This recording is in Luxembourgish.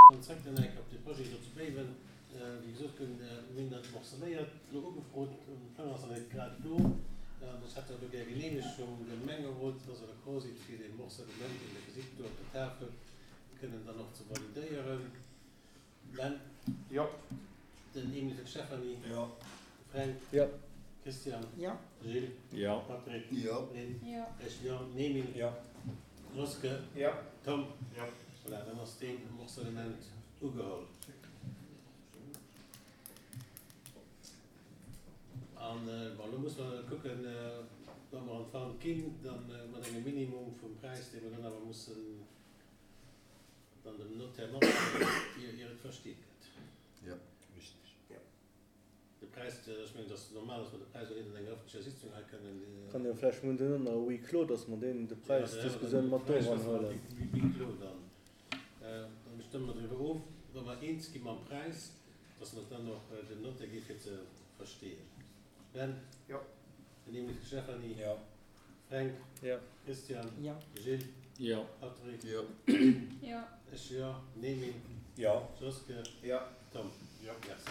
Dann zréck dann eng Kéier op de Projet do zu Béiwen. Wéi gesot, mir hunn dat morcelléiert elo ugefrot. Den Plang ass nach net grad do. An ech hätt dat elo gär geneemegt vum Gemengerot, dass Der d'accord sidd, fir dee Morcellement, deen Der gesitt do op der Tafel, kënnen dann och ze validéieren. Ben? Jo. Den Emile fir d'Stéphanie. Jo. De Fränk. Jo. Christian. Jo. Gilles. Jo. Patrick. Jo. Lynn. Jo. Ech jo. Emile. Jo. Joske. Jo. Tom. Jo. Voilà, dann ass dee Morcellement ugeholl. An, bon, elo musse mer kucken, wa mer an d'Wand ginn, da mat engem Minimum vum Präis, dee mer dann awer mussen dann dem Notaire matdeelen, ier et versteet gëtt. Jo, richtig. Jo. De Präis, ech mengen, et ass normal, dass mer de Präis och net an enger öffentlecher Sitzung hei kënnen. Kann jo vläicht, mir hunn duerno nach e Huis clos, dass mer deen, de Präisdiskussioun mat do eranhuelen. Huis clos dann. Dann stëmme mer driwwer of, wa mer eens gi mam Präis, dass mer et dann och dem Notaire gi fir ze versteeën. Ben? Jo. Den Emile Stephany? Jo. Fränk? Jo. Christian? Jo. Gilles? Jo. Patrick? Jo. Lynn? Jo. Ech jo. Emile? Jo. Joske? Jo. Tom? Jo. Merci.